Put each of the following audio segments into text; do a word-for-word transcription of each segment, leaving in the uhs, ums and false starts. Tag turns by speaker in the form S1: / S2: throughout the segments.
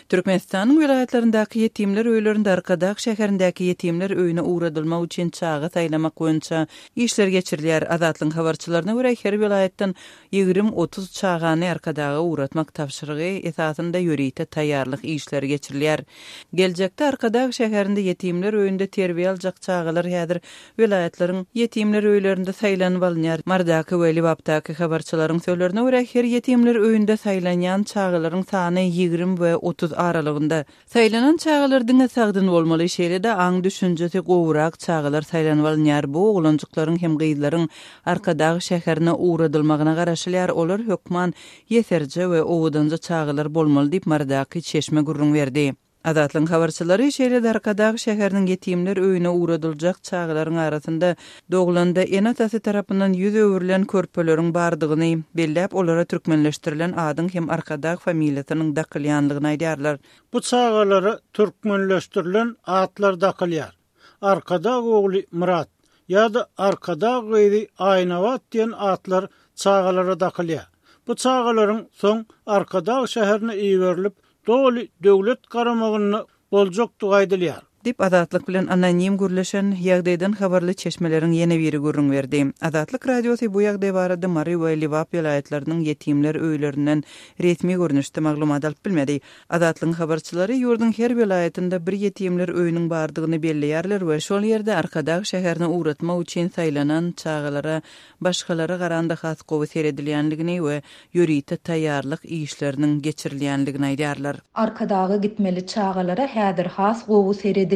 S1: Türkmenistanyň welaýatlaryndaky ýetimler öýlerinde Arkadag şäherindäki ýetimler öýüne ugradylmak üçin çaga saýlamak boýunça işler geçirilýär. Azatlygyň habarçylaryna görä, her welaýatdan ýigrimi-otuz çagany Arkadaga ugratmak tabşyrygy esasynda ýörite taýýarlyk işleri geçirilýär. Geljekde Arkadag şäherinde ýetimler öýünde terbiýe aljak çagalar häzir welaýatlaryň ýetimler öýlerinde saýlanyp alynýar. Marydaky we Lebapdaky habarçylaryň sözlerine görä, her ýetimler öýünde saýlanýan çagalaryň sany ýigrimi we otuz aralygynda. Saýlanan çagalar diňe sagdyn bolmaly, şeýle-de aň-düşünjesi gowurak çagalar saýlanyp alynýar. Bu oglanjyklaryň hem gyzlaryň Arkadag şäherine ugradylmagyna garaşylýar. Olar hökman ýeserje we owadanja çagalar bolmaly diýip, Marydaky çeşme gürrüň berdi. Azatlygyň habarçylary şeýle-de Arkadag şäheriniň ýetimler öýüne ugradyljak çagalaryň arasynda doglanda ene-atasy tarapyndan ýüz öwrülen körpeleriň bardygyny belläp, olara türkmenleşdirilen adyň hem Arkadag familiýasynyň dakylýanlygyny aýdýarlar.
S2: Bu çagalara türkmenleşdirilen atlar dakylýar. Arkadag ogly Myrat ýa-da Arkadag gyzy Aýnabat diýen atlar çagalara dakylýar. Bu çagalaryň soň Arkadag şäherine iberilip, doly döwlet garamagynda boljakdygy aýdylýar.
S1: Diýip, Azatlyk bilen anonim gürleşen ýagdaýdan habarly çeşmeleriň ýene biri gürrüň berdi. Azatlyk Radiosy bu ýagdaý barada Mary we Lebap welaýatlarynyň ýetimler öýlerinden resmi görnüşde maglumat alyp bilmedi. Azatlygyň habarçylary ýurduň her welaýatynda bir ýetimler öýüniň bardygyny belleýärler we şol ýerde Arkadag şäherine ugratmak üçin saýlanan çagalara başgalara garanda has gowy seredilýänligini we ýörite taýýarlyk işleriniň geçirilýänligini aýdýarlar.
S3: Arkadaga gitmeli çagalara häzir has gowy seredilýär.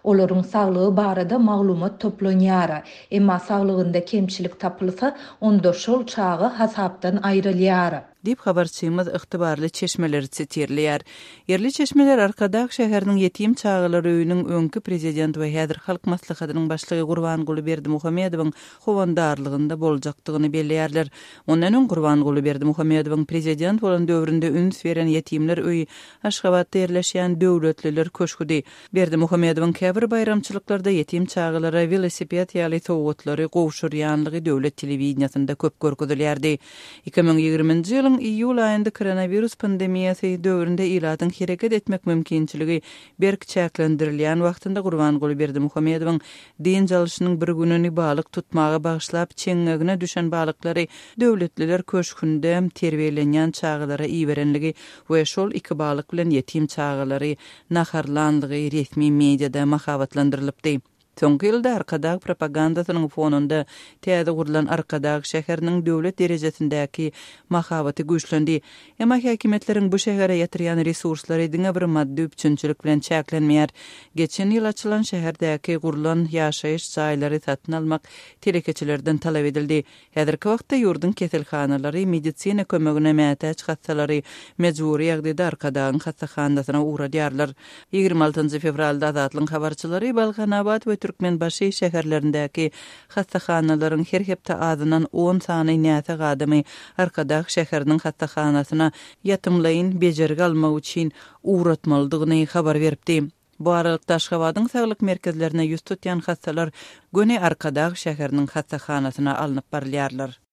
S3: Olaryň saglygy barada maglumat toplanýar. Emma saglygynda kemçilik tapylsa, onda şol çaga hasapdan aýrylýar.
S1: Diýip, habarçymyz ygtybarly çeşmeleri sitirleýär. Ýerli çeşmeler Arkadag şäheriniň ýetim çagalar öýüniň öňki prezident we häzir Halk Maslahatynyň başlygy Gurbanguly Berdimuhamedowyň howandarlygynda boljakdygyny belleýärler. Ondan öň Gurbanguly Berdimuhamedowyň prezident bolan döwründe üns beren ýetimler öýi Aşgabatda ýerleşýän Döwletliler köşgüdi. Berdimuhamedowyň käbir baýramçylyklarda ýetim çagalara welosiped ýaly sowgatlary gowşurýanlygy döwlet telewideniýasynda köp görkezilýärdi. Iki müň ýigriminji ýylyň iýul aýynda koronawirus pandemiýasy döwründe ilatyň hereket etmek mümkinçiligi berk çäklendirilýän wagtynda Gurbanguly Berdimuhamedowyň dynç alşynyň bir gününi balyk tutmaga bagyşlap çeňňegine düşen balyklary Döwletliler köşgünde terbiýelenýän çagalara iberenligi we şol iki balyk bilen ýetim çagalary naharlanlygy resmi mediada mahabatlandyrylypdy. Soňky ýylda Arkadag propagandasynyň fonunda täze gurlan Arkadag şäheriniň döwlet derejesindäki mahabaty güýçlendi. Emma häkimiýetleriň bu şähere ýatyrýan resurslary diňe bir maddy üpjünçilik bilen çäklenmeýär. Geçen ýyl açylan şäherdäki gurlan ýaşaýyş jaýlary satyn almak telekeçilerden talap edildi. Häzirki wagtda ýurduň keselhanalary medisina kömegine mätäç hassalary mejbury ýagdaýda Arkadagyň hassahanasyna ugradýarlar. Ýigrimi altynjy fewralda Azatlygyň habarçylary Balkanabat we Türkmenbaşy şäherlerindäki hassahanalaryň her hepde azyndan on sany näsag adamy Arkadag şäheriniň hassahanasyna ýatymlaýyn bejergi almak üçin ugratmalydygyny habar beripdi. Bu aralykda Aşgabadyň saglyk merkezlerine ýüz tutýan hassalar göni Arkadag şäheriniň hassahanasyna alnyp barylýarlar.